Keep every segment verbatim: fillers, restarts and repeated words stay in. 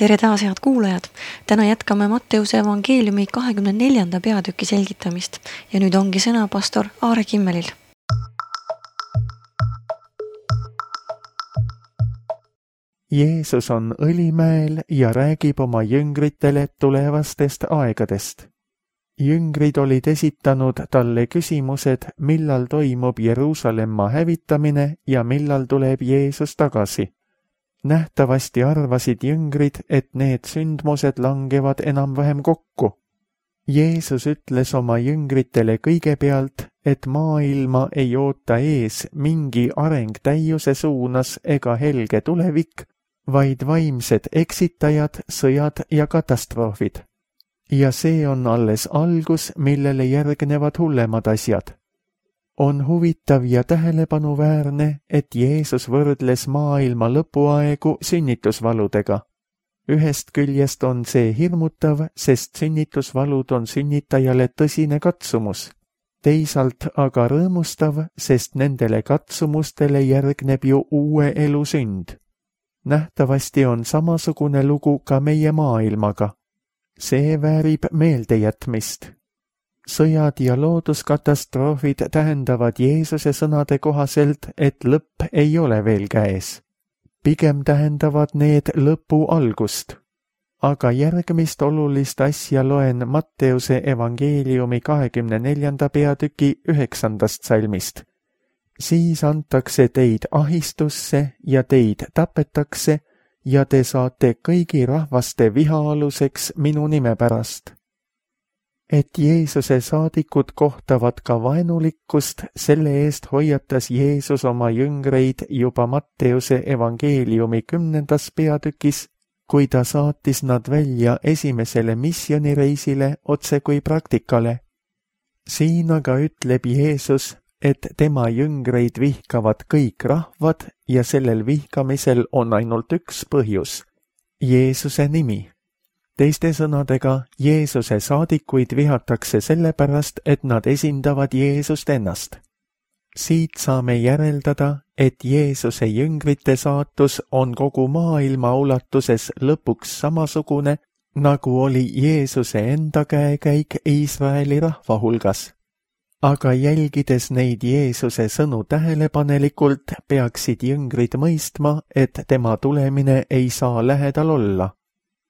Tere taas, head kuulajad! Täna jätkame Matteuse evangeeliumi kahekümne neljanda peatüki selgitamist ja nüüd ongi sõna pastor Aare Kimmelil. Jeesus on Õlimäel ja räägib oma jüngritele tulevastest aegadest. Jüngrid olid esitanud talle küsimused, millal toimub Jeruusalemma hävitamine ja millal tuleb Jeesus tagasi. Nähtavasti arvasid jüngrid, et need sündmused langevad enam-vähem kokku. Jeesus ütles oma jüngritele kõigepealt, et maailma ei oota ees mingi areng täiuse suunas ega helge tulevik, vaid vaimsed eksitajad, sõjad ja katastroofid. Ja see on alles algus, millele järgnevad hullemad asjad. On huvitav ja tähelepanuväärne, et Jeesus võrdles maailma lõpuaegu sünnitusvaludega. Ühest küljest on see hirmutav, sest sünnitusvalud on sünnitajale tõsine katsumus. Teisalt aga rõõmustav, sest nendele katsumustele järgneb ju uue elu sünd. Nähtavasti on samasugune lugu ka meie maailmaga. See väärib meeldejätmist. Sõjad ja looduskatastroofid tähendavad Jeesuse sõnade kohaselt, et lõpp ei ole veel käes. Pigem tähendavad need lõpu algust. Aga järgmist olulist asja loen Matteuse evangeeliumi kahekümne neljanda peatüki üheksandast salmist. Siis antakse teid ahistusse ja teid tapetakse ja te saate kõigi rahvaste viha aluseks minu nime pärast. Et Jeesuse saadikud kohtavad ka vaenulikkust, selle eest hoiatas Jeesus oma jüngreid juba Matteuse evangeeliumi kümnendas peatükis, kui ta saatis nad välja esimesele missioonireisile otse kui praktikale. Siin aga ütleb Jeesus, et tema jüngreid vihkavad kõik rahvad ja sellel vihkamisel on ainult üks põhjus – Jeesuse nimi. Teiste sõnadega, Jeesuse saadikuid vihatakse sellepärast, et nad esindavad Jeesust ennast. Siit saame järeldada, et Jeesuse jüngrite saatus on kogu maailma ulatuses lõpuks samasugune, nagu oli Jeesuse enda käekäik Iisraeli rahva hulgas. Aga jälgides neid Jeesuse sõnu tähelepanelikult, peaksid jüngrid mõistma, et tema tulemine ei saa lähedal olla.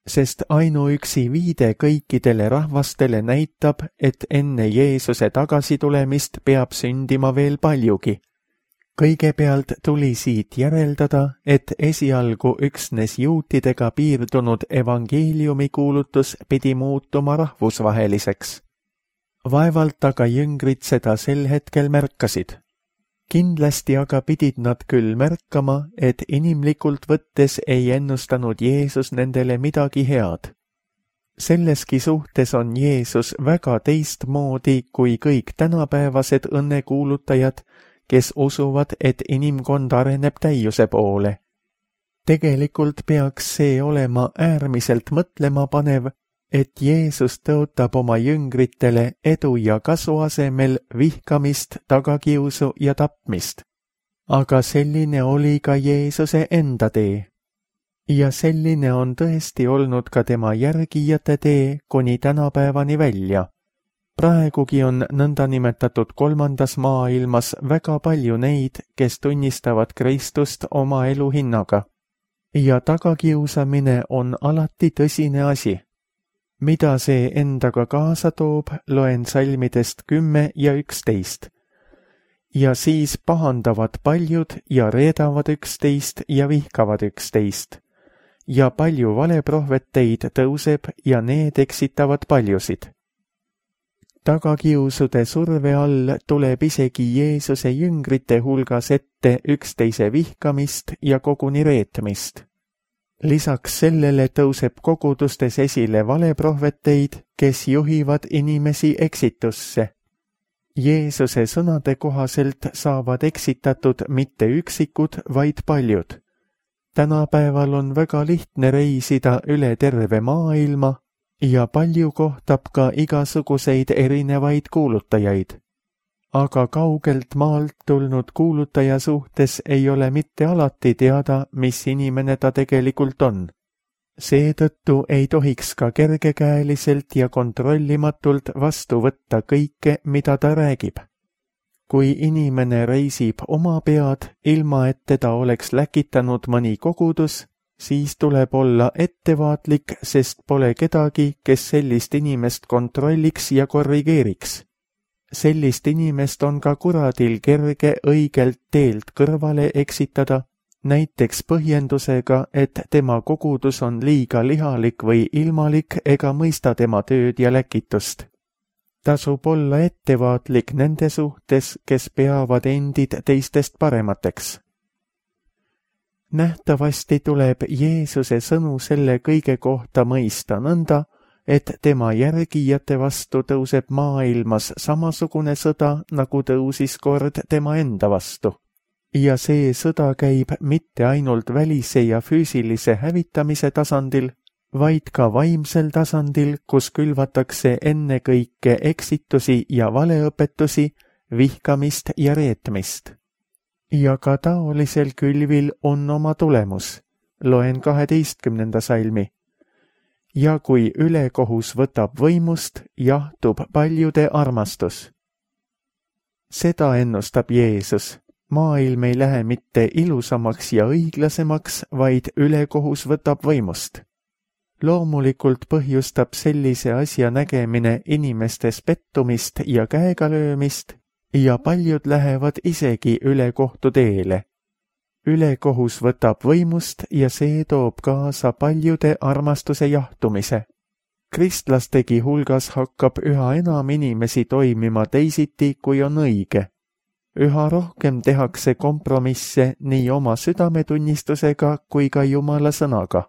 Sest ainuüksi viide kõikidele rahvastele näitab, et enne Jeesuse tagasitulemist peab sündima veel paljugi. Kõigepealt tuli siit järeldada, et esialgu üksnes juutidega piirdunud evangeeliumi kuulutus pidi muutuma rahvusvaheliseks. Vaevalt aga jüngrid seda sel hetkel märkasid. Kindlasti aga pidid nad küll märkama, et inimlikult võttes ei ennustanud Jeesus nendele midagi head. Selleski suhtes on Jeesus väga teistmoodi kui kõik tänapäevased õnnekuulutajad, kes usuvad, et inimkond areneb täiuse poole. Tegelikult peaks see olema äärmiselt mõtlema panev, et Jeesus tõotab oma jüngritele edu ja kasu asemel vihkamist, tagakiusu ja tapmist. Aga selline oli ka Jeesuse enda tee. Ja selline on tõesti olnud ka tema järgijate tee kuni tänapäevani välja. Praegugi on nõndanimetatud kolmandas maailmas väga palju neid, kes tunnistavad Kristust oma elu hinnaga. Ja tagakiusamine on alati tõsine asi. Mida see endaga kaasa toob, loen salmidest kümme ja üksteist. Ja siis pahandavad paljud ja reedavad üksteist ja vihkavad üksteist. Ja palju valeprohveteid tõuseb ja need eksitavad paljusid. Tagakiusude surve all tuleb isegi Jeesuse jüngrite hulgas ette üksteise vihkamist ja koguni reetmist. Lisaks sellele tõuseb kogudustes esile valeprohveteid, kes juhivad inimesi eksitusse. Jeesuse sõnade kohaselt saavad eksitatud mitte üksikud, vaid paljud. Tänapäeval on väga lihtne reisida üle terve maailma ja palju kohtab ka igasuguseid erinevaid kuulutajaid. Aga kaugelt maalt tulnud kuulutaja suhtes ei ole mitte alati teada, mis inimene ta tegelikult on. Seetõttu ei tohiks ka kergekäeliselt ja kontrollimatult vastu võtta kõike, mida ta räägib. Kui inimene reisib oma pead, ilma et teda oleks läkitanud mõni kogudus, siis tuleb olla ettevaatlik, sest pole kedagi, kes sellist inimest kontrolliks ja korrigeeriks. Sellist inimest on ka kuradil kerge õigelt teelt kõrvale eksitada, näiteks põhjendusega, et tema kogudus on liiga lihalik või ilmalik ega mõista tema tööd ja läkitust. Tasub olla ettevaatlik nende suhtes, kes peavad endid teistest paremateks. Nähtavasti tuleb Jeesuse sõnu selle kõige kohta mõista nõnda, et tema järgijate vastu tõuseb maailmas samasugune sõda, nagu tõusis kord tema enda vastu. Ja see sõda käib mitte ainult välise ja füüsilise hävitamise tasandil, vaid ka vaimsel tasandil, kus külvatakse ennekõike eksitusi ja valeõpetusi, vihkamist ja reetmist. Ja ka taolisel külvil on oma tulemus. Loen kaheteistkümnenda salmi. Ja kui ülekohus võtab võimust, jahtub paljude armastus. Seda ennustab Jeesus. Maailm ei lähe mitte ilusamaks ja õiglasemaks, vaid ülekohus võtab võimust. Loomulikult põhjustab sellise asja nägemine inimestes pettumist ja käegalöömist ja paljud lähevad isegi ülekohtu teele. Ülekohus võtab võimust ja see toob kaasa paljude armastuse jahtumise. Kristlastegi hulgas hakkab üha enam inimesi toimima teisiti, kui on õige. Üha rohkem tehakse kompromisse nii oma südametunnistusega kui ka Jumala sõnaga.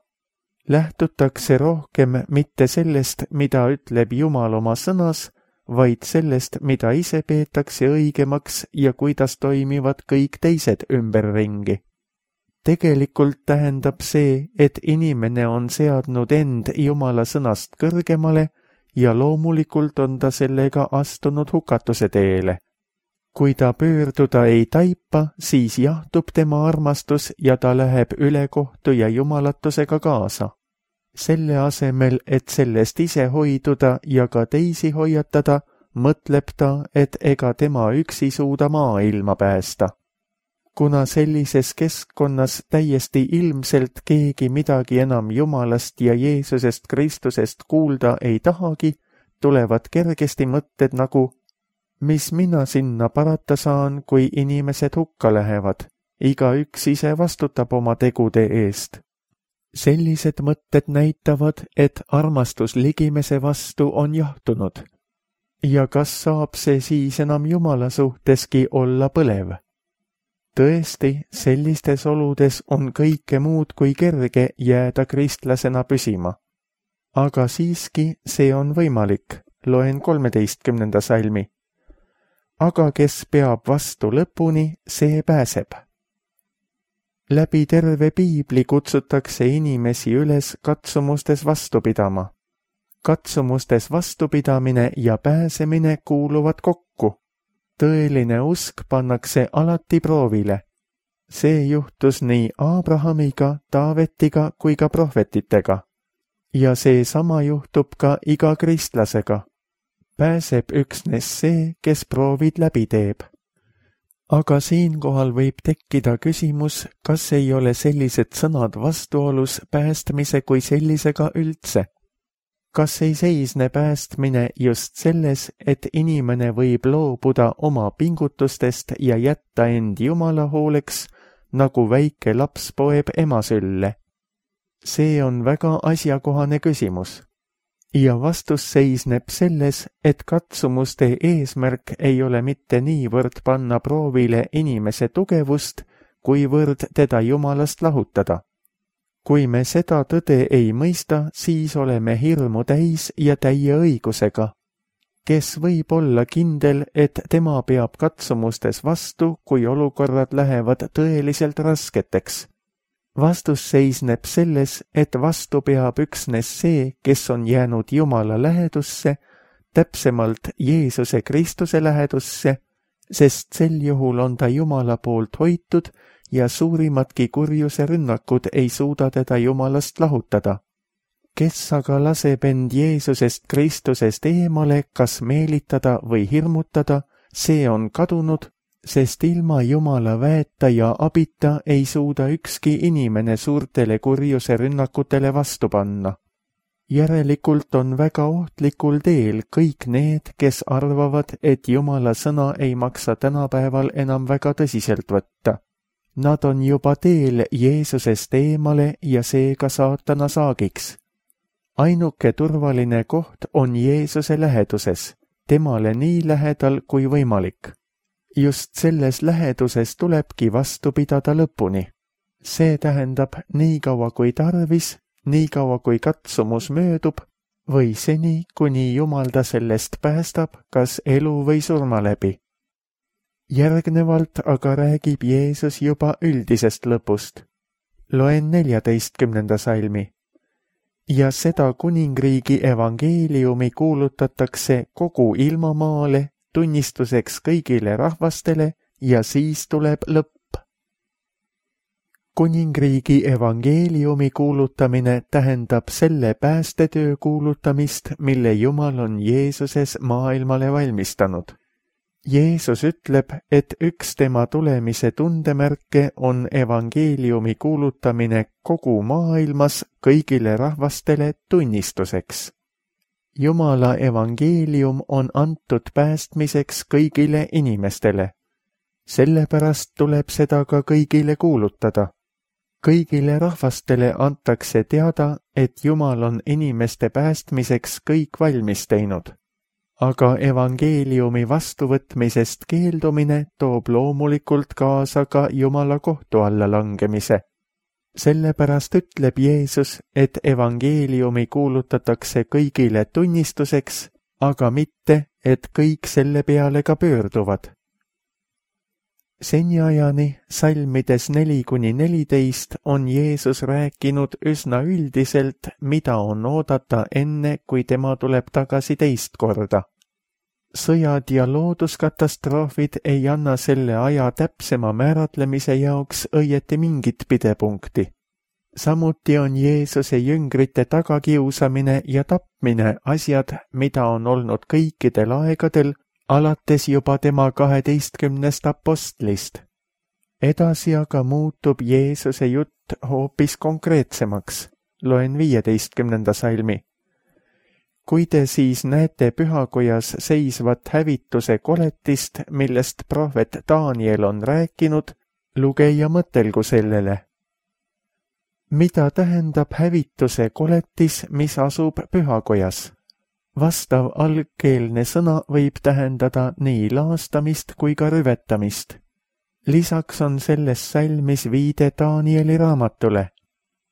Lähtutakse rohkem mitte sellest, mida ütleb Jumal oma sõnas, vaid sellest, mida ise peetakse õigemaks ja kuidas toimivad kõik teised ümberringi. Tegelikult tähendab see, et inimene on seadnud end Jumala sõnast kõrgemale ja loomulikult on ta sellega astunud hukatuse teele. Kui ta pöörduda ei taipa, siis jahtub tema armastus ja ta läheb ülekohtu ja jumalatusega kaasa. Selle asemel, et sellest ise hoiduda ja ka teisi hoiatada, mõtleb ta, et ega tema üksi suuda maailma päästa. Kuna sellises keskkonnas täiesti ilmselt keegi midagi enam Jumalast ja Jeesusest Kristusest kuulda ei tahagi, tulevad kergesti mõtted nagu mis mina sinna parata saan, kui inimesed hukka lähevad. Igaüks ise vastutab oma tegude eest. Sellised mõtted näitavad, et armastus ligimese vastu on jahtunud. Ja kas saab see siis enam Jumala suhteski olla põlev? Tõesti, sellistes oludes on kõike muud kui kerge jääda kristlasena püsima. Aga siiski see on võimalik. Loen kolmeteistkümnenda salmi. Aga kes peab vastu lõpuni, see pääseb. Läbi terve piibli kutsutakse inimesi üles katsumustes vastu pidama. Katsumustes vastupidamine ja pääsemine kuuluvad kokku. Tõeline usk pannakse alati proovile. See juhtus nii Abrahamiga, Taavetiga kui ka prohvetitega. Ja see sama juhtub ka iga kristlasega. Pääseb üksnes see, kes proovid läbi teeb. Aga siinkohal võib tekkida küsimus, kas ei ole sellised sõnad vastuolus päästmise kui sellisega üldse? Kas ei seisne päästmine just selles, et inimene võib loobuda oma pingutustest ja jätta end Jumala hooleks, nagu väike laps poeb ema sülle? See on väga asjakohane küsimus. Ja vastus seisneb selles, et katsumuste eesmärk ei ole mitte niivõrd panna proovile inimese tugevust, kuivõrd teda Jumalast lahutada. Kui me seda tõde ei mõista, siis oleme hirmu täis ja täie õigusega. Kes võib olla kindel, et tema peab katsumustes vastu, kui olukorrad lähevad tõeliselt rasketeks? Vastus seisneb selles, et vastu peab üksnes see, kes on jäänud Jumala lähedusse, täpsemalt Jeesuse Kristuse lähedusse, sest sel juhul on ta Jumala poolt hoitud ja suurimatki kurjuse rünnakud ei suuda teda Jumalast lahutada. kes aga laseb end Jeesusest Kristusest eemale kas meelitada või hirmutada, see on kadunud, sest ilma Jumala väeta ja abita ei suuda ükski inimene suurtele kurjuse rünnakutele vastu panna. Järelikult on väga ohtlikul teel kõik need, kes arvavad, et Jumala sõna ei maksa tänapäeval enam väga tõsiselt võtta. Nad on juba teel Jeesusest eemale ja seega saatana saagiks. Ainuke turvaline koht on Jeesuse läheduses, temale nii lähedal kui võimalik. Just selles läheduses tulebki vastu pidada lõpuni. See tähendab nii kaua kui tarvis, nii kaua kui katsumus möödub või seni, kuni Jumal ta sellest päästab, kas elu või surma läbi. Järgnevalt aga räägib Jeesus juba üldisest lõpust. Loen neljateistkümnenda salmi. Ja seda kuningriigi evangeeliumi kuulutatakse kogu ilmamaale, tunnistuseks kõigile rahvastele ja siis tuleb lõpp. Kuningriigi evangeeliumi kuulutamine tähendab selle päästetöö kuulutamist, mille Jumal on Jeesuses maailmale valmistanud. Jeesus ütleb, et üks tema tulemise tundemärke on evangeeliumi kuulutamine kogu maailmas kõigile rahvastele tunnistuseks. Jumala evangeelium on antud päästmiseks kõigile inimestele. Sellepärast tuleb seda ka kõigile kuulutada. Kõigile rahvastele antakse teada, et Jumal on inimeste päästmiseks kõik valmis teinud. Aga evangeeliumi vastuvõtmisest keeldumine toob loomulikult kaasa ka Jumala kohtu alla langemise. Sellepärast ütleb Jeesus, et evangeeliumi kuulutatakse kõigile tunnistuseks, aga mitte, et kõik selle peale ka pöörduvad. Seniajani salmides neli kuni neliteist on Jeesus rääkinud üsna üldiselt, mida on oodata enne, kui tema tuleb tagasi teist korda. Sõjad ja looduskatastroofid ei anna selle aja täpsema määratlemise jaoks õieti mingit pidepunkti. Samuti on Jeesuse jüngrite tagakiusamine ja tapmine asjad, mida on olnud kõikidel aegadel, alates juba tema kaheteistkümnest apostlist. Edasi aga muutub Jeesuse jutt hoopis konkreetsemaks. Loen viieteistkümnenda salmi. Kui te siis näete pühakojas seisvat hävituse koletist, millest prohvet Daniel on rääkinud, lugeja mõtelgu sellele. Mida tähendab hävituse koletis, mis asub pühakojas? Vastav algkeelne sõna võib tähendada nii laastamist kui ka rüvetamist. Lisaks on selles salmis viide Danieli raamatule.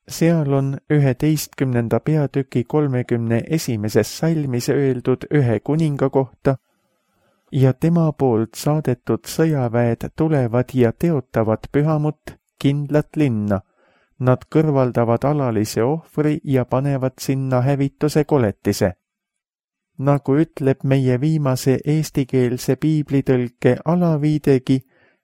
Seal on üheteistkümnenda peatüki kolmekümne esimeses salmis öeldud ühe kuninga kohta ja tema poolt saadetud sõjaväed tulevad ja teotavad pühamut, kindlat linna. Nad kõrvaldavad alalise ohvri ja panevad sinna hävituse koletise. Nagu ütleb meie viimase eestikeelse piiblitõlke alaviidegi,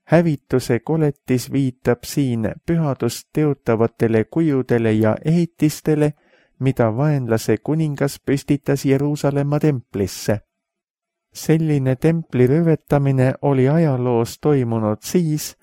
hävituse koletis viitab siin pühadust teotavatele kujudele ja ehitistele, mida vaenlase kuningas püstitas Jeruusalemma templisse. Selline templi rüvetamine oli ajaloos toimunud siis,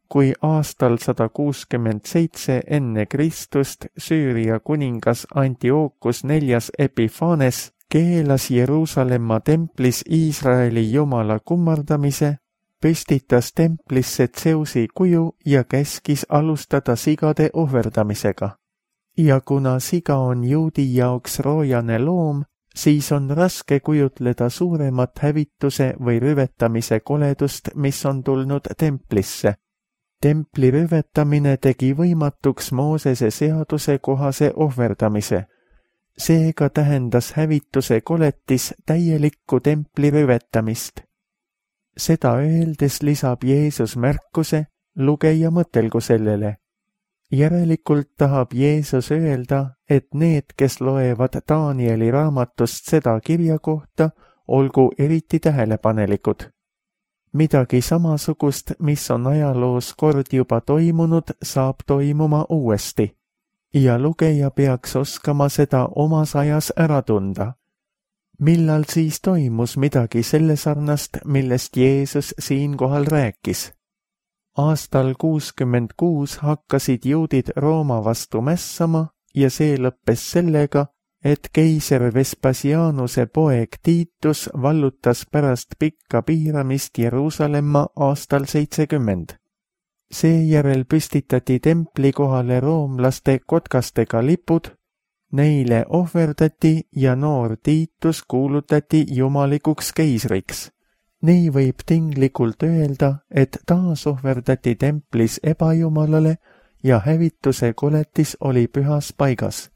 kui aastal sada kuuskümmend seitse enne Kristust Süüria kuningas Antiochus neljas Epiphanes keelas Jeruusalemma templis Iisraeli jumala kummardamise, püstitas templisse Tseusi kuju ja käskis alustada sigade ohverdamisega. Ja kuna siga on juudi jaoks roojane loom, siis on raske kujutleda suuremat hävituse või rüvetamise koledust, mis on tulnud templisse. Templi rüvetamine tegi võimatuks Moosese seaduse kohase ohverdamise. Seega tähendas hävituse koletis täielikku templi rüvetamist. Seda öeldes lisab Jeesus märkuse, lugeja mõtelgu sellele. Järelikult tahab Jeesus öelda, et need, kes loevad Danieli raamatust seda kirja kohta, olgu eriti tähelepanelikud. Midagi samasugust, mis on ajaloos kord juba toimunud, saab toimuma uuesti. ja lugeja peaks oskama seda omas ajas ära tunda. Millal siis toimus midagi selle sarnast, millest Jeesus siinkohal rääkis? Aastal kuuskümmend kuus hakkasid juudid Rooma vastu mässama ja see lõppes sellega, et keiser Vespasianuse poeg Tiitus vallutas pärast pikka piiramist Jeruusalemma aastal seitsekümmend. Seejärel püstitati templi kohale roomlaste kotkastega lipud, neile ohverdati ja noor Tiitus kuulutati jumalikuks keisriks. Nii võib tinglikult öelda, et taas ohverdati templis ebajumalale ja hävituse koletis oli pühas paigas.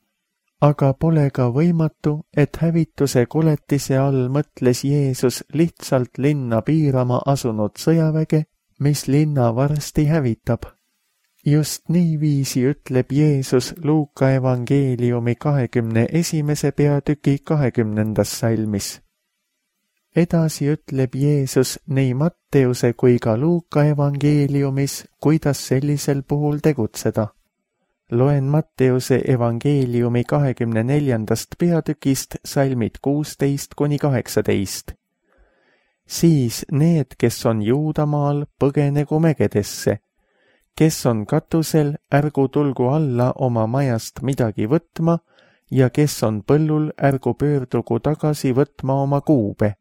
Aga pole ka võimatu, et hävituse koletise all mõtles Jeesus lihtsalt linna piirama asunud sõjaväge, mis linna varsti hävitab. Just niiviisi ütleb Jeesus Luuka evangeeliumi kahekümne esimese peatüki kahekümnendas salmis. Edasi ütleb Jeesus nii Matteuse kui ka Luuka evangeeliumis, kuidas sellisel puhul tegutseda. Loen Matteuse evangeeliumi kahekümne neljandast peatükist salmid kuusteist kuni kaheksateist. Siis need, kes on Juudamaal, põgenegu mägedesse. Kes on katusel, ärgu tulgu alla oma majast midagi võtma ja kes on põllul, ärgu pöördugu tagasi võtma oma kuube.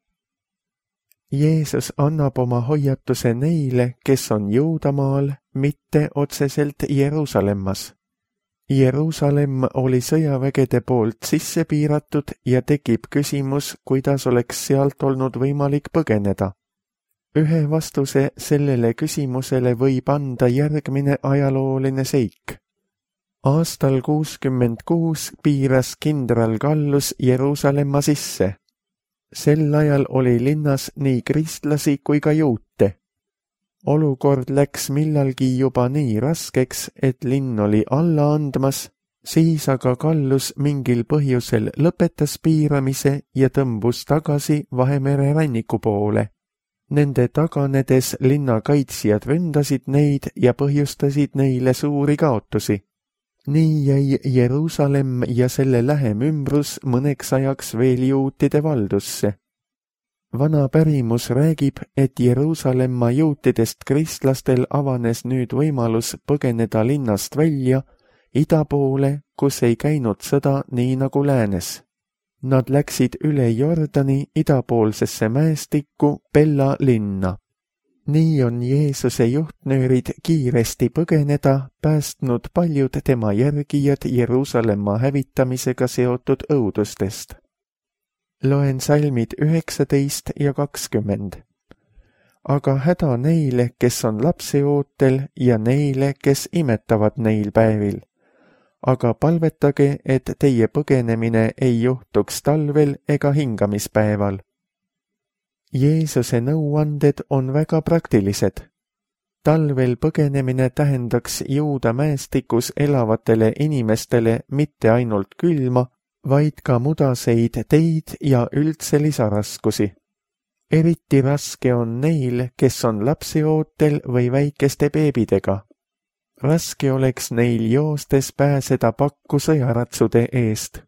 Jeesus annab oma hoiatuse neile, kes on Juudamaal, mitte otseselt Jeruusalemmas. Jeruusalemm oli sõjavägede poolt sisse piiratud ja tekib küsimus, kuidas oleks sealt olnud võimalik põgeneda. Ühe vastuse sellele küsimusele võib anda järgmine ajalooline seik. Aastal kuuskümmend kuus piiras kindral Gallus Jeruusalemma sisse. Sel ajal oli linnas nii kristlasi kui ka juute. Olukord läks millalgi juba nii raskeks, et linn oli alla andmas, siis aga Gallus mingil põhjusel lõpetas piiramise ja tõmbus tagasi Vahemere ranniku poole. Nende taganedes linna kaitsjad ründasid neid ja põhjustasid neile suuri kaotusi. Nii jäi Jeruusalemm ja selle lähem ümbrus mõneks ajaks veel juutide valdusse. Vana pärimus räägib, et Jeruusalemma juutidest kristlastel avanes nüüd võimalus põgeneda linnast välja ida poole, kus ei käinud sõda nii nagu läänes. Nad läksid üle Jordani idapoolsesse mäestikku Pella linna. Nii on Jeesuse juhtnöörid kiiresti põgeneda päästnud paljud tema järgijad Jeruusalemma hävitamisega seotud õudustest. Loen salmid üheksateist ja kakskümmend. Aga häda neile, kes on lapseootel ja neile, kes imetavad neil päevil. Aga palvetage, et teie põgenemine ei juhtuks talvel ega hingamispäeval. Jeesuse nõuanded on väga praktilised. Talvel põgenemine tähendaks Juuda mäestikus elavatele inimestele mitte ainult külma, vaid ka mudaseid teid ja üldse lisaraskusi. Eriti raske on neil, kes on lapseootel või väikeste beebidega. Raske oleks neil joostes pääseda pakku sõjaratsude eest.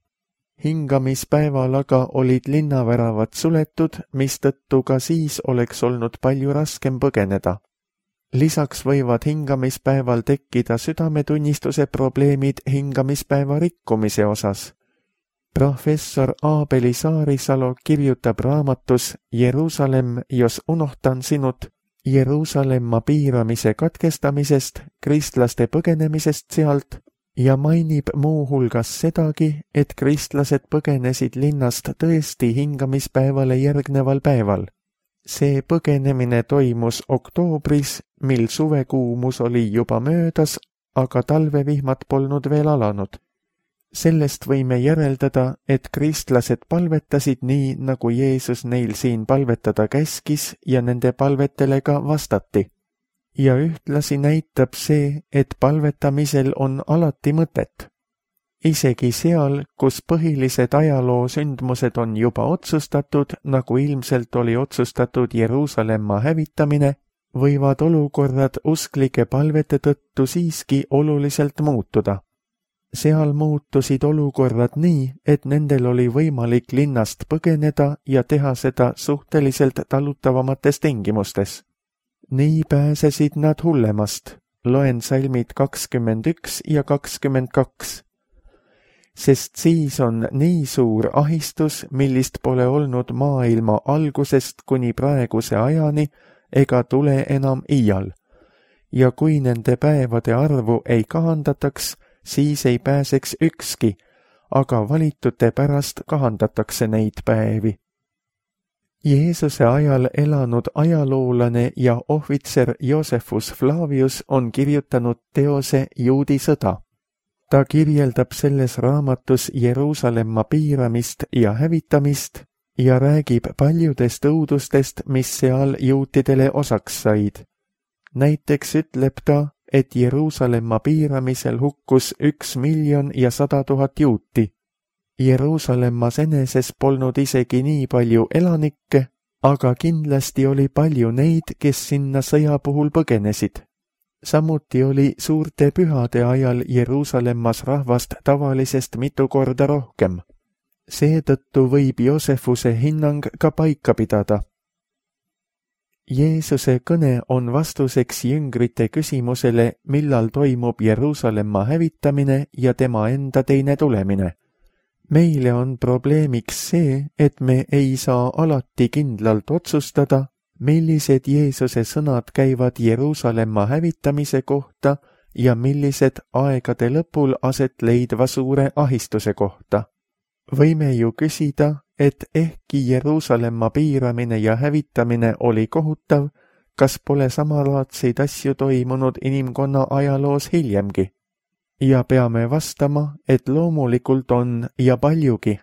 Hingamispäeval aga olid linnaväravad suletud, mistõttu ka siis oleks olnud palju raskem põgeneda. Lisaks võivad hingamispäeval tekkida südametunnistuse probleemid hingamispäeva rikkumise osas. Professor Aabeli Saarisalu kirjutab raamatus Jeruusalemm, jos unohtan sinut, Jeruusalemma piiramise katkestamisest, kristlaste põgenemisest sealt ja mainib muu hulgas sedagi, et kristlased põgenesid linnast tõesti hingamispäevale järgneval päeval. See põgenemine toimus oktoobris, mil suvekuumus oli juba möödas, aga talvevihmad polnud veel alanud. Sellest võime järeldada, et kristlased palvetasid nii, nagu Jeesus neil siin palvetada käskis ja nende palvetele ka vastati. Ja ühtlasi näitab see, et palvetamisel on alati mõtet. Isegi seal, kus põhilised ajaloo sündmused on juba otsustatud, nagu ilmselt oli otsustatud Jeruusalemma hävitamine, võivad olukorrad usklike palvete tõttu siiski oluliselt muutuda. seal muutusid olukorrad nii, et nendel oli võimalik linnast põgeneda ja teha seda suhteliselt talutavamates tingimustes. Nii pääsesid nad hullemast. Loen salmid kakskümmend üks ja kakskümmend kaks. Sest siis on nii suur ahistus, millist pole olnud maailma algusest kuni praeguse ajani ega tule enam iial. Ja kui nende päevade arvu ei kahandataks, siis ei pääseks ükski, aga valitute pärast kahandatakse neid päevi. Jeesuse ajal elanud ajaloolane ja ohvitser Josephus Flavius on kirjutanud teose Juudi sõda. Ta kirjeldab selles raamatus Jeruusalemma piiramist ja hävitamist ja räägib paljudest õudustest, mis seal juutidele osaks said. Näiteks ütleb ta, et Jeruusalemma piiramisel hukkus üks miljon ja sada tuhat juuti. Jeruusalemmas eneses polnud isegi nii palju elanikke, aga kindlasti oli palju neid, kes sinna sõja puhul põgenesid. Samuti oli suurte pühade ajal Jeruusalemmas rahvast tavalisest mitu korda rohkem. Seetõttu võib Joosefuse hinnang ka paika pidada. Jeesuse kõne on vastuseks jüngrite küsimusele, millal toimub Jeruusalemma hävitamine ja tema enda teine tulemine. Meile on probleemiks see, et me ei saa alati kindlalt otsustada, millised Jeesuse sõnad käivad Jeruusalemma hävitamise kohta ja millised aegade lõpul aset leidva suure ahistuse kohta. Võime ju küsida, et ehkki Jeruusalemma piiramine ja hävitamine oli kohutav, kas pole samalaadseid asju toimunud inimkonna ajaloos hiljemgi? Ja peame vastama, et loomulikult on ja paljugi.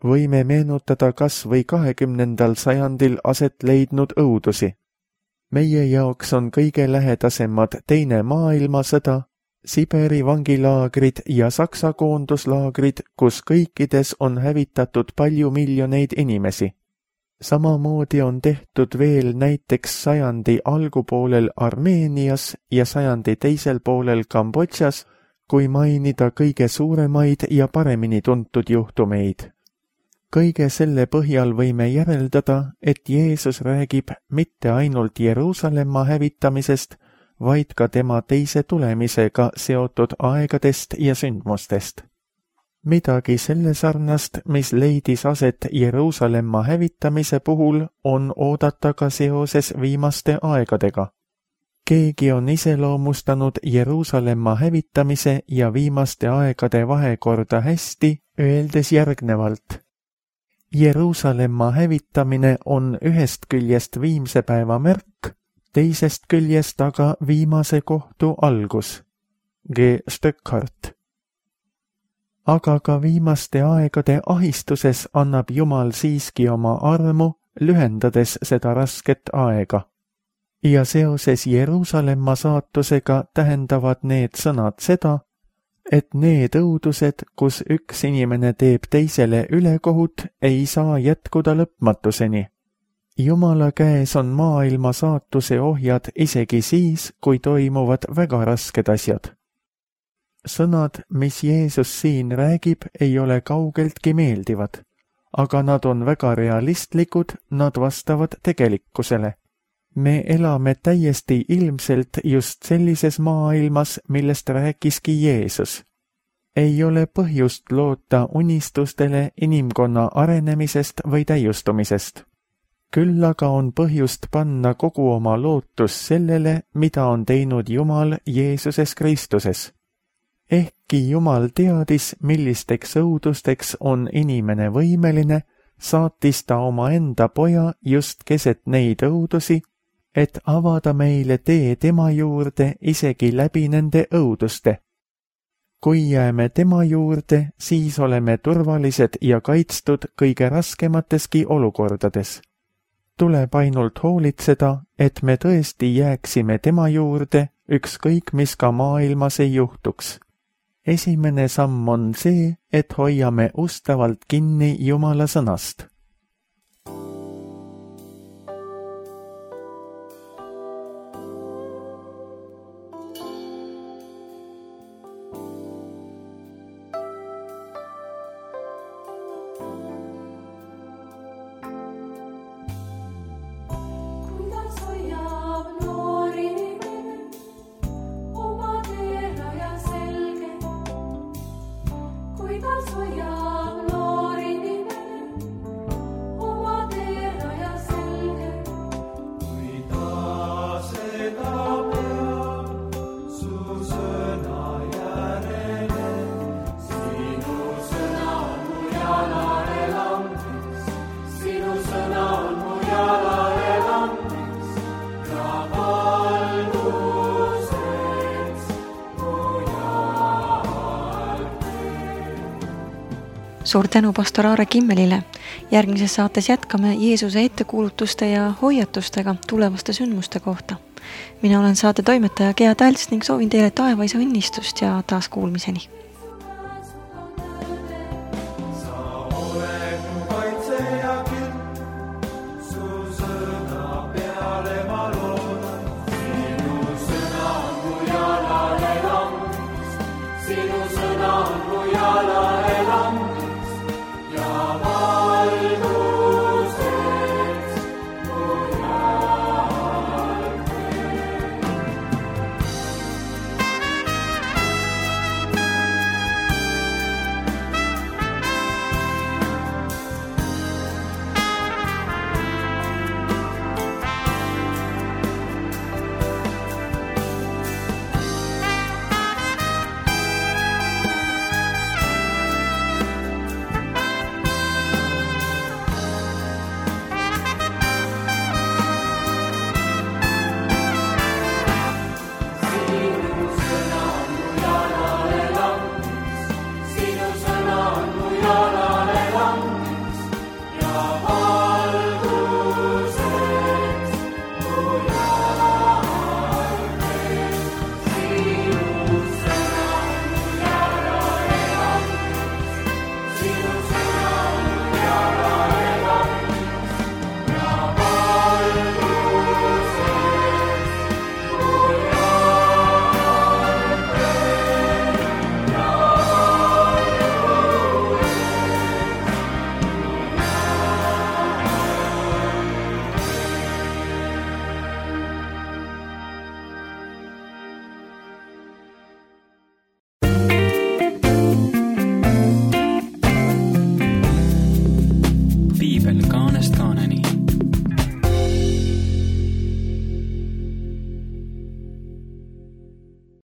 Võime meenutada kas või kahekümnendal sajandil aset leidnud õudusi. Meie jaoks on kõige lähedasemad teine maailmasõda, Siberi vangilaagrid ja Saksa koonduslaagrid, kus kõikides on hävitatud palju miljoneid inimesi. Samamoodi on tehtud veel näiteks sajandi algupoolel Armeenias ja sajandi teisel poolel Kambodžas, kui mainida kõige suuremaid ja paremini tuntud juhtumeid. Kõige selle põhjal võime järeldada, et Jeesus räägib mitte ainult Jeruusalemma hävitamisest, vaid ka tema teise tulemisega seotud aegadest ja sündmustest. Midagi selle sarnast, mis leidis aset Jeruusalemma hävitamise puhul, on oodata ka seoses viimaste aegadega. Keegi on iseloomustanud Jeruusalemma hävitamise ja viimaste aegade vahekorda hästi, öeldes järgnevalt. Jeruusalemma hävitamine on ühest küljest viimse päeva märk, teisest küljest aga viimase kohtu algus. G. Stöckhart. Aga ka viimaste aegade ahistuses annab Jumal siiski oma armu, lühendades seda rasket aega. Ja seoses Jeruusalemma saatusega tähendavad need sõnad seda, et need õudused, kus üks inimene teeb teisele ülekohut, ei saa jätkuda lõpmatuseni. Jumala käes on maailma saatuse ohjad isegi siis, kui toimuvad väga rasked asjad. Sõnad, mis Jeesus siin räägib, ei ole kaugeltki meeldivad, aga nad on väga realistlikud, nad vastavad tegelikkusele. Me elame täiesti ilmselt just sellises maailmas, millest rääkiski Jeesus. Ei ole põhjust loota unistustele inimkonna arenemisest või täiustumisest. Küll aga on põhjust panna kogu oma lootus sellele, mida on teinud Jumal Jeesuses Kristuses. Ehkki Jumal teadis, millisteks õudusteks on inimene võimeline, saatis ta oma enda poja just keset neid õudusi, et avada meile tee tema juurde isegi läbi nende õuduste. Kui jääme tema juurde, siis oleme turvalised ja kaitstud kõige raskemateski olukordades. Tuleb ainult hoolitseda, et me tõesti jääksime tema juurde, ükskõik mis ka maailmas ei juhtuks. Esimene samm on see, et hoiame ustavalt kinni Jumala sõnast. suur tänu pastor Aare Kimmelile. Järgmises saates jätkame Jeesuse ettekuulutuste ja hoiatustega tulevaste sündmuste kohta. Mina olen saate toimetaja Gea Talts ning soovin teile taevaisa õnnistust ja taas kuulmiseni. Kaanest kaaneni.